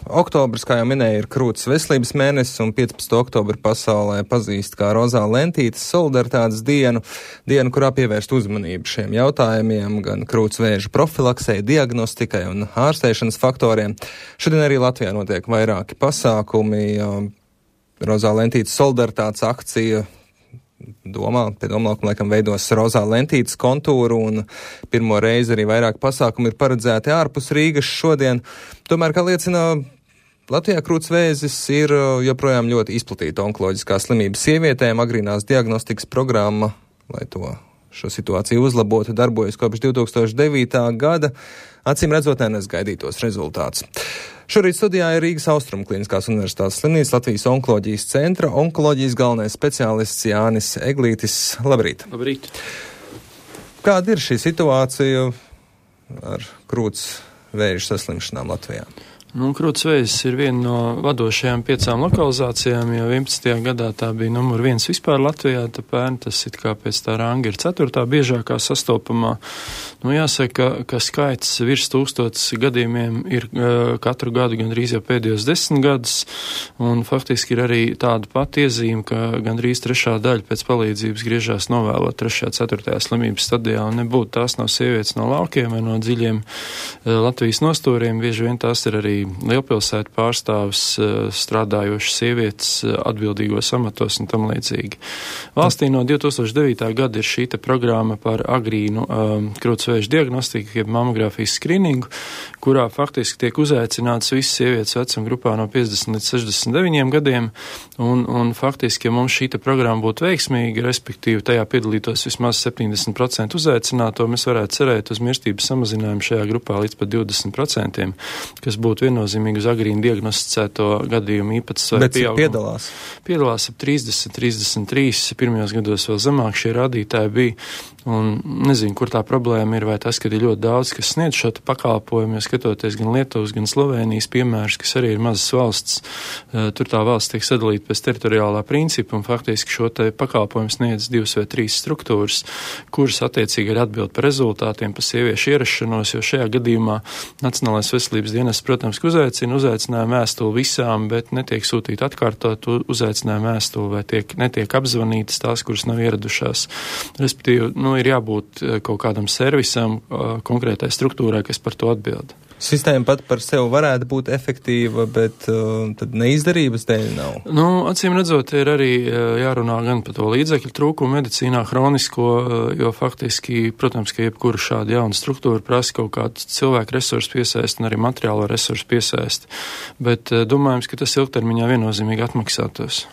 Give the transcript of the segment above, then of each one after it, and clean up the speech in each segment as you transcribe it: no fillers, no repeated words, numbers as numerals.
Oktobris, kā jau minēja, ir krūts veselības mēnesis, un 15. oktobri pasaulē pazīst kā rozā lentītes solidaritātes dienu, kurā pievērst uzmanību šiem jautājumiem, gan krūts vēža profilaksei, diagnostikai un ārstēšanas faktoriem. Šodien arī Latvijā notiek vairāki pasākumi, rozā lentītes solidaritātes akcija. Pie domlaukuma laikam veidos rozā lentītes kontūru, un pirmo reizi arī vairāk pasākumi ir paredzēti ārpus Rīgas šodien. Tomēr, kā liecina Latvijā, krūts vēzis ir joprojām ļoti izplatīta onkoloģiskā slimība sievietēm. Agrīnās diagnostikas programma, lai šo situāciju uzlabotu, darbojas kopš 2009. gada. Acīm redzot, nenes gaidītos rezultātus. Šorīt studijā ir Rīgas Austrumu Kliniskās universitātes slimnīcas Latvijas onkoloģijas centra onkoloģijas galvenais speciālists Jānis Eglītis. Labrīt! Labrīt! Kāda ir šī situācija ar krūts vēža saslimšanām Latvijā? Krūts vēzis ir viena no vadošajām 5 lokalizācijām, jo 11. gadā tā bija numur 1 vispār Latvijā, tā pērn tas it kā pēc tā ranga ir 4. biežākā sastopamā. Jāsaka, ka skaits virs 1000 gadījumiem ir katru gadu gandrīz jau pēdējos 10 gadus, un faktiski ir arī tāda pati iezīme, ka gandrīz 3. daļa pēc palīdzības griežās novēlot 3. 4. slimības stadijā, un nebūtu tās nav sievietes no laukiem vai no dziļiem Latvijas nostūriem, bieži vien tās ir arī lielpilsētu pārstāvis, strādājošas sievietes atbildīgos amatos un tam līdzīgi. Valstī no 2009. gada ir šī programma par agrīnu krūts vēža diagnostiku, jeb mamogrāfijas skrīningu, kurā faktiski tiek uzaicināts visas sievietes vecuma grupā no 50 līdz 69 gadiem, un faktiski, ja mums šī programma būtu veiksmīga, respektīvi tajā piedalītos vismaz 70% uzaicināto, mēs varētu cerēt uz mirstības samazinājumu šajā grupā līdz pat 20%, kas būtu viennozīmīgi uz agrīnu diagnosticēto gadījumu īpatsvaru. Bet cik piedalās? Piedalās ap 30, 33, pirmajos gados vēl zemāk šie rādītāji bija, un nezinu, kur tā problēma ir, vai tas, ka ir ļoti daudz, kas sniedz šo pakalpojumu, jo skatoties gan Lietuvas, gan Slovēnijas piemērus, kas arī ir mazas valsts, tur tā valsts tiek sadalīta pēc teritoriālā principa, un faktiski šo te pakalpojumu sniedz 2 vai 3 struktūras, kuras attiecīgi ir atbild par rezultātiem, par sieviešu ierašanos, jo šajā gadījumā Nacionālais veselības dienests, protams, ka uzaicinājumu vēstuli visām, bet netiek sūtīta atkārtot uzaicinājumu vēstuli, vai netiek apzvanītas tās, kuras nav ieradušās. Respektīvi, ir jābūt kaut kādam servisam, konkrētai struktūrai, kas par to atbild. Sistēma pat par sevi varētu būt efektīva, bet tad neizdarības dēļ nav. Acīm redzot, ir arī jārunā gan par to līdzekļu trūkumu medicīnā hronisko, jo faktiski, protams, ka jebkura šāda jauna struktūra prasa kaut kādu cilvēku resursu piesaist un arī materiālo resursu piesaist, bet domājams, ka tas ilgtermiņā viennozīmīgi atmaksātos.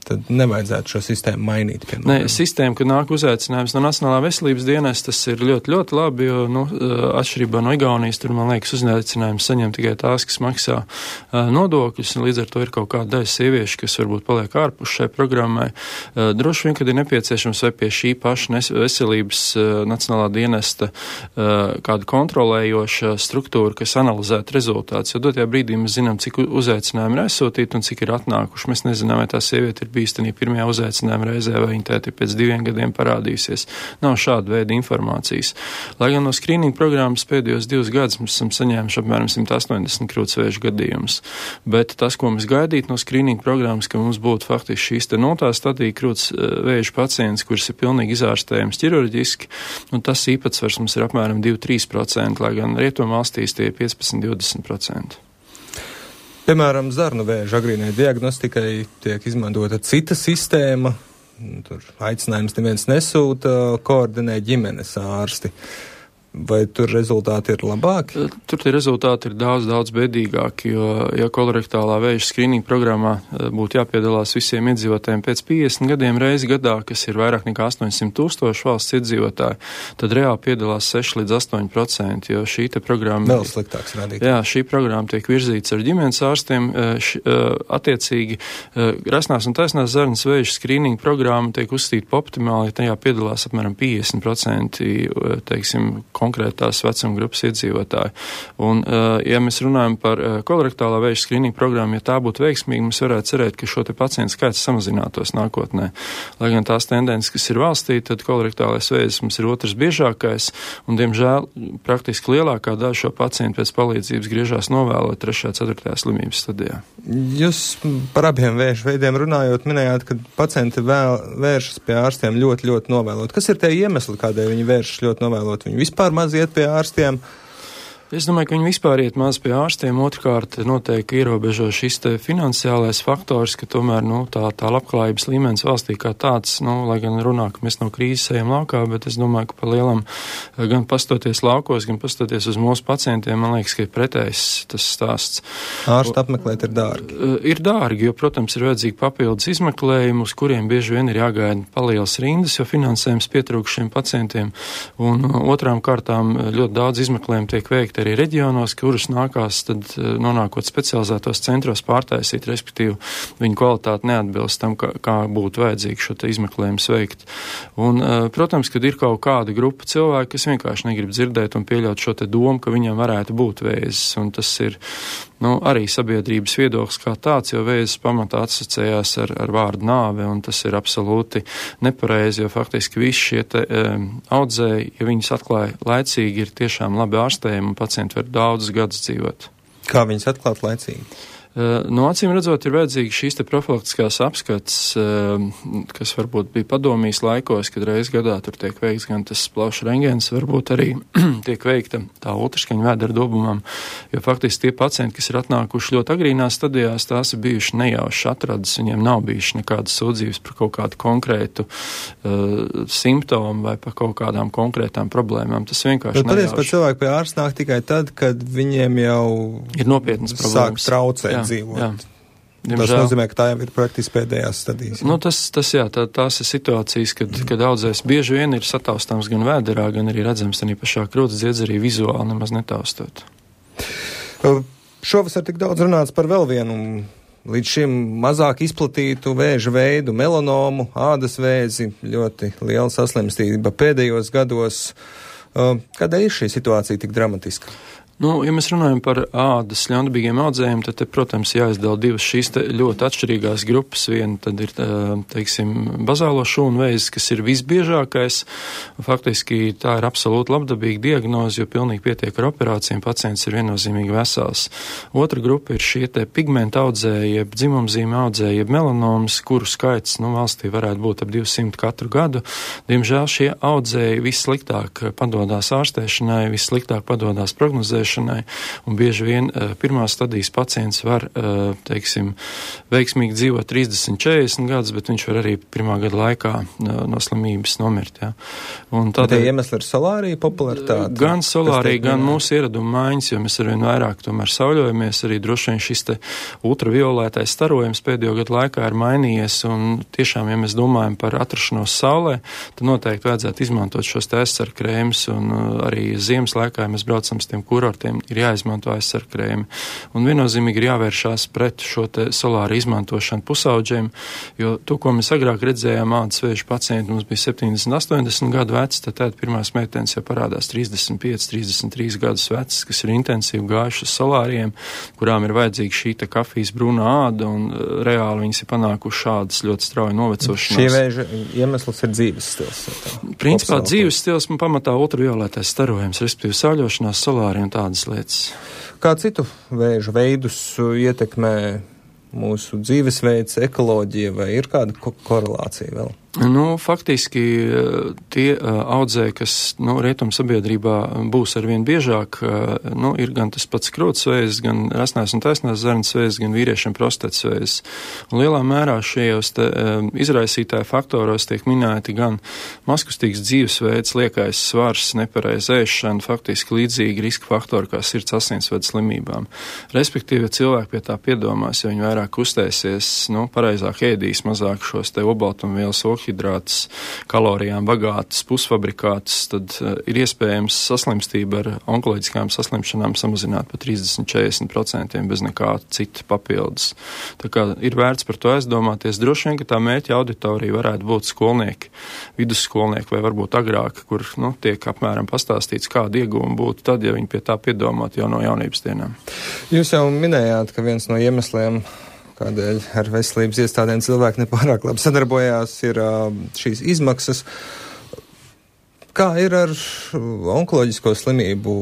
Tad nevajadzētu šo sistēmu mainīt. Nē, sistēma, kad nāk uzaicinājums no Nacionālā veselības dienas, tas ir ļoti, ļoti labi, jo, atšķirībā no Igaunijas, tur, man liekas, uzaicinājums saņem tikai tās, kas maksā nodokļus, un līdz ar to ir kaut kāda daļa sieviešu, kas varbūt paliek ārpus šai programmai. Droši vien, kad ir nepieciešams vai pie šī paša veselības Nacionālā dienesta kāda kontrolējoša struktūra, kas analizētu rezultātus, jo dotajā brīdī mēs zinām, cik uzaicinājumi ir aizsūtīti un cik ir atnākuši. Mēs nezinām, vai tā sieviete ir bīstamī pirmajā uzaicinājuma reizē, vai viņa tēti pēc 2 gadiem parādījusies. Nav šāda veida informācijas. Lai gan no skrīninga programmas pēdējos 2 gadus mēs esam saņēmuši apmēram 180 krūtsvēža gadījumus. Bet tas, ko mēs gaidītu no skrīninga programmas, ka mums būtu faktiski šīs te notā stadija krūtsvēža pacients, kurš ir pilnīgi izārstējams ķirurģiski, un tas īpatsvars mums ir apmēram 2-3%, lai gan rietumvalstīs tie ir 15-20%. Piemēram, zarnu vēža agrīnai diagnostikai tiek izmantota cita sistēma, tur aicinājums neviens nesūta, koordinē ģimenes ārsti. Vai tur rezultāti ir labāki? Tur tie rezultāti ir daudz bēdīgāki, jo, ja kolorektālā vēža skrīninga programmā būtu jāpiedalās visiem iedzīvotājiem pēc 50 gadiem reizi gadā, kas ir vairāk nekā 800 000 valsts iedzīvotāji, tad reāli piedalās 6 līdz 8%, jo šī te programma... Vēl sliktāks rādīt. Jā, šī programma tiek virzīts ar ģimenes ārstiem, attiecīgi rasnās un taisnās zarnas vēža skrīninga programma tiek uzskatīta pa optimāli, ja tajā piedalās apmēram 50%, teiksim, konkrētās vecuma grupas iedzīvotāji. Un, ja mēs runājam par kolorektālā vēža skrīninga programmu, ja tā būtu veiksmīga, mēs varētu cerēt, ka šo te pacientu skaits samazinātos nākotnē. Lai gan tās tendences, kas ir valstī, tad kolorektālais vēzis mums ir otrs biežākais, un, diemžēl, praktiski lielākā daļa šo pacientu pēc palīdzības griežās novēlot 3. 4. slimības stadijā. Jūs par abiem vēža veidiem runājot, minējāt, ka pacienti vēršas pie ārstiem ļoti, ļoti novēlot. Kas ir tie iemesli, kādēļ viņi vēršas ļoti novēlot? Viņi vispār maz iet pie ārstiem? Es domāju, ka viņi vispār iet maz pie ārstiem. Otrkārt, noteikti ierobežo šis te finansiālais faktors, ka tomēr, tā labklājības līmenis valstī kā tāds, lai gan runā, ka mēs no krīzes ejam laukā, bet es domāju, ka pa lielam gan pastoties laukos, gan pastoties uz mūsu pacientiem, man liekas, ka ir pretējs tas stāsts. Ārstu apmeklēt ir dārgi. Ir dārgi, jo, protams, ir vajadzīgi papildus izmeklējumi, uz kuriem bieži vien ir jāgaida palielas rindas, jo finansējums pietrūkst šiem pacientiem. Un otrām kārtām ļoti daudz izmeklējumu tiek veikti arī reģionos, kurus nākās tad nonākot specializētos centros pārtaisīt, respektīvi viņu kvalitāte neatbilst tam, kā būtu vajadzīgi šo te izmeklējumu veikt. Un, protams, kad ir kaut kāda grupa cilvēku, kas vienkārši negrib dzirdēt un pieļaut šo te domu, ka viņam varētu būt vēzis, un tas ir arī sabiedrības viedoklis kā tāds, jo vēzis pamatā asociējās ar vārdu nāve, un tas ir absolūti nepareizi, jo faktiski visi šie te audzēji, ja viņus atklāja laicīgi, ir tiešām labi ārstējumi, un pacienti var daudzus gadus dzīvot. Kā viņus atklāt laicīgi? Acīm redzot, ir vajadzīgi šīs te profilaktiskās apskats, kas varbūt bija padomijas laikos, kad reiz gadā tur tiek veikts gan tas plaušu rentgens, varbūt arī tiek veikta tā ultraskaņa vēdera dobumam, jo faktiski tie pacienti, kas ir atnākuši ļoti agrīnās stadijās, tās ir bijuši nejauši atradas, viņiem nav bijuši nekādas sūdzības par kaut kādu konkrētu simptomu vai par kaut kādām konkrētām problēmām. Tas vienkārši nejauši. Patiesi, pat cilvēki pie ārsta nāk tikai tad, kad viņiem jau ir nopietnas problēmas. Sāk traucēt. Dzīvot. Jā. Tas nozīmē, ka tā jau ir praktiski pēdējās stadijas. Tās ir situācijas, kad audzēs bieži vien ir sataustāms gan vēderā, gan arī redzams arī pašā krūts dziedz arī vizuāli nemaz netaustot. Šovasar tik daudz runāts par vēl vienu līdz šim mazāk izplatītu vēža veidu, melanomu, ādas vēzi, ļoti liela saslimstība pēdējos gados. Kādēļ ir šī situācija tik dramatiska? Ja mēs runājam par ādas ļaundabīgiem audzējiem, tad, protams, jāizdala divas šīs ļoti atšķirīgās grupas. Viena tad ir, bazālo šūnu vēzis, kas ir visbiežākais. Faktiski tā ir absolūti labdabīga diagnoze, jo pilnīgi pietiek ar operācijām, pacients ir viennozīmīgi vesels. Otra grupa ir šie te pigmenta audzēji, jeb dzimumzīme audzēji, jeb melanomas, kuru skaits, valstī varētu būt ap 200 katru gadu. Diemžēl šie audzēji vissliktāk padodās ārstēšanai, vissliktāk padodās prognozēšanai. Un bieži vien pirmās stadijas pacients var, veiksmīgi dzīvot 30-40 gadus, bet viņš var arī pirmā gada laikā no slimības nomirt. Ja. Un tādēļ iemesli ir solārija popularitāte? Gan solārija, gan mūsu ieraduma maiņas, jo mēs arvien vairāk tomēr sauļojamies, arī droši vien šis te ultraviolētais starojums pēdējo gadu laikā ir mainījies, un tiešām, ja mēs domājam par atrašanos saulē, tad noteikti vajadzētu izmantot šos te aizsarkrēmus, un arī ziemas laikā, ja mēs braucam uz tiem kurortiem, ir jāizmanto aizsarkrēmi. Un viennozīmīgi ir jāvēršās pret šo te solāru izmantošanu pusauģiem, jo to, ko mēs agrāk redzējām ādas vēža pacienti, mums bija 70-80 gadu veci, tad pirmās meitenes jau parādās 35-33 gadus vecs, kas ir intensīvi gājuši uz solāriem, kurām ir vajadzīga šī te kafijas brūnā āda, un reāli viņas ir panākuši šādas ļoti strauji novecošanās. Šie vēža iemesls ir dzīves stils. Principā dzīves stils man pamatā ultraviolētais starojums, respektīvi sauļošanās, solāri un tādas lietas. Kā citu vēža veidus ietekmē mūsu dzīvesveids, ekoloģija, vai ir kāda korelācija vēl? Faktiski tie audzēji, kas rietumu sabiedrībā būs arvien biežāk, ir gan tas pats krūts vēzis, gan rasnās un taisnās zarnas vēzis, gan vīriešiem prostatas vēzis. Un lielā mērā šajos izraisītāju faktoros tiek minēti gan mazkustīgs dzīvesveids, liekais svars, nepareiza ēšana, faktiski līdzīgi riska faktori kā sirds asinsvadu slimībām. Respektīvi, ja cilvēki pie tā piedomās, ja viņi vairāk kustēsies, pareizāk ēdīs, mazāk šos te obaltumvielas lielhidrātus, kalorijām bagātas, pusfabrikātus, tad ir iespējams saslimstība ar onkoloģiskām saslimšanām samazināt pa 30-40% bez nekā cita papildus. Tā kā ir vērts par to aizdomāties. Droši vien, ka tā mērķa auditorija varētu būt skolnieki, vidusskolnieki vai varbūt agrāk, kur tiek apmēram pastāstīts, kāda iegūma būtu tad, ja viņi pie tā piedomāt jau no jaunības dienām. Jūs jau minējāt, ka viens no iemesliem, kādēļ ar veselības iestādēm cilvēki nepārāk labi sadarbojās, ir šīs izmaksas. Kā ir ar onkoloģisko slimību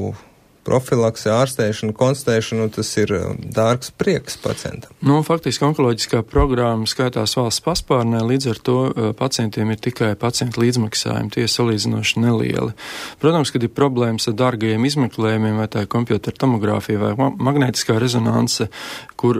profilakse, ārstēšanu, konstatēšanu, tas ir dārgs prieks pacientam? Faktiski onkoloģiskā programma skaitās valsts paspārnē, līdz ar to pacientiem ir tikai pacientu līdzmaksājumi, tie salīdzinoši nelieli. Protams, kad ir problēmas ar dārgajiem izmeklējumiem, vai tā ir kompjutera tomogrāfija vai magnētiskā rezonanse, kur,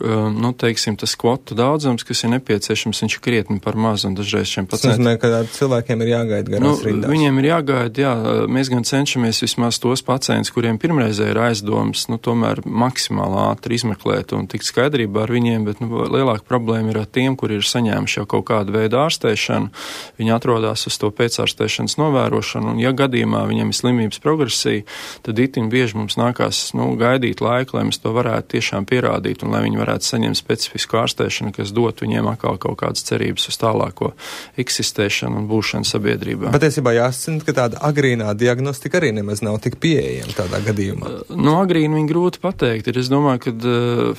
teiksim, tas kvotu daudzums, kas ir nepieciešams, viņš ir krietni par maz, un dažreiz šiem pacientiem. Tas nozīmē, ka cilvēkiem ir jāgaida garās rindās. Viņiem ir jāgaida, mēs gan cenšamies vismaz tos pacientus, kuriem pirmreiz ir aizdomas, tomēr maksimāli ātri izmeklēt un tikt skaidrībā ar viņiem, bet lielāka problēma ir ar tiem, kuri ir saņēmuši jau kaut kādu veidu ārstēšanu. Viņi atrodas uz to pēcārstēšanas novērošanu, un ja gadījumā viņiem ir slimības progresija, tad itin bieži mums nākās gaidīt laiku, lai mēs to varētu tiešām pierādīt un lai viņi varētu saņemt specifisku ārstēšanu, kas dot viņiem atkal kaut kādas cerības uz tālāko eksistēšanu un būšanu sabiedrībā. Patiesībā jāsacina, ka tāda agrīnā diagnostika arī nemaz nav tik pieejama tādā gadījumā. Agrīni viņi grūti pateikt. Es domāju, ka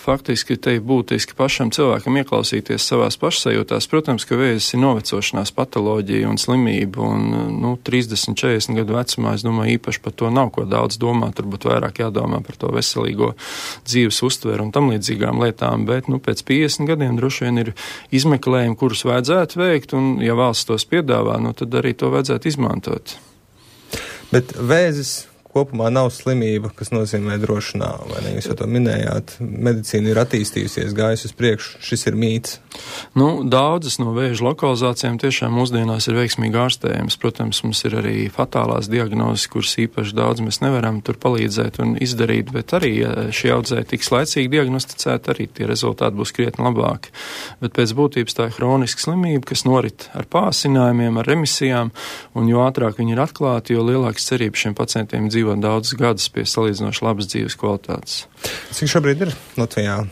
faktiski te ir būtiski pašam cilvēkam ieklausīties savās pašsajūtās. Protams, ka vēzis ir novecošanās patoloģija un slimība, un 30-40 gadu vecumā, es domāju, īpaši par to nav ko daudz domāt, turbūt vairāk jādomā par to veselīgo dzīves uztveru un tam līdzīgām lietām, bet pēc 50 gadiem droši vien ir izmeklējumi, kurus vajadzētu veikt, un ja valsts tos piedāvā, tad arī to vajadzētu izmantot. Bet vēzis kopumā nav slimība, kas nozīmē droši nāvi, vai ne? Jūs jau to minējāt, medicīna ir attīstījusies, gājusi uz priekšu, šis ir mīts. Daudzas no vēža lokalizācijām tiešām mūsdienās ir veiksmīgi ārstējams. Protams, mums ir arī fatālās diagnozes, kuras īpaši daudz mēs nevaram tur palīdzēt un izdarīt, bet arī, ja šie audzēji tiks laicīgi diagnosticēti, arī tie rezultāti būs krietni labāki. Bet pēc būtības tā ir hroniska slimība, kas norit ar pāsinājumiem, ar remisijām, un jo ātrāk viņi ir atklāti, jo lielākas cerības šiem pacientiem dzīvo daudzus gadus pie salīdzinoši labas dzīves kvalitātes. Cik šobrīd ir Latvijā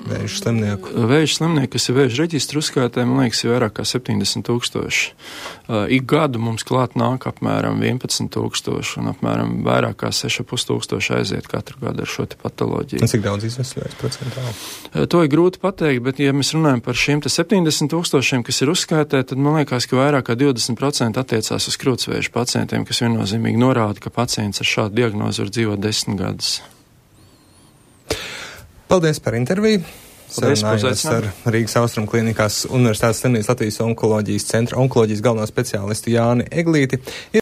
vēža slimnieku? Vēža slimnieku, kas ir vēža reģistra uzskaitē, man liekas, ir vairāk kā 70,000. Ik gadu mums klāt nāk apmēram 11,000 un apmēram vairāk kā 6,500 aiziet katru gadu ar šo te patoloģiju. Cik daudz izvesaļojas procentāli? To ir grūti pateikt, bet ja mēs runājam par šiem 70,000, kas ir uzskaitē, tad man liekas, ka vairāk kā 20% attiecās uz krūtsvēža pacientiem, kas viennozīmīgi norāda, ka pacients ar šādu diagnozi var dzīvot 10 gadus. Paldies par interviju. Sarunājos ar Rīgas Austrum Klīnikās Universitātes slimnīcas Latvijas onkoloģijas centra onkoloģijas galveno speciālistu Jāni Eglīti.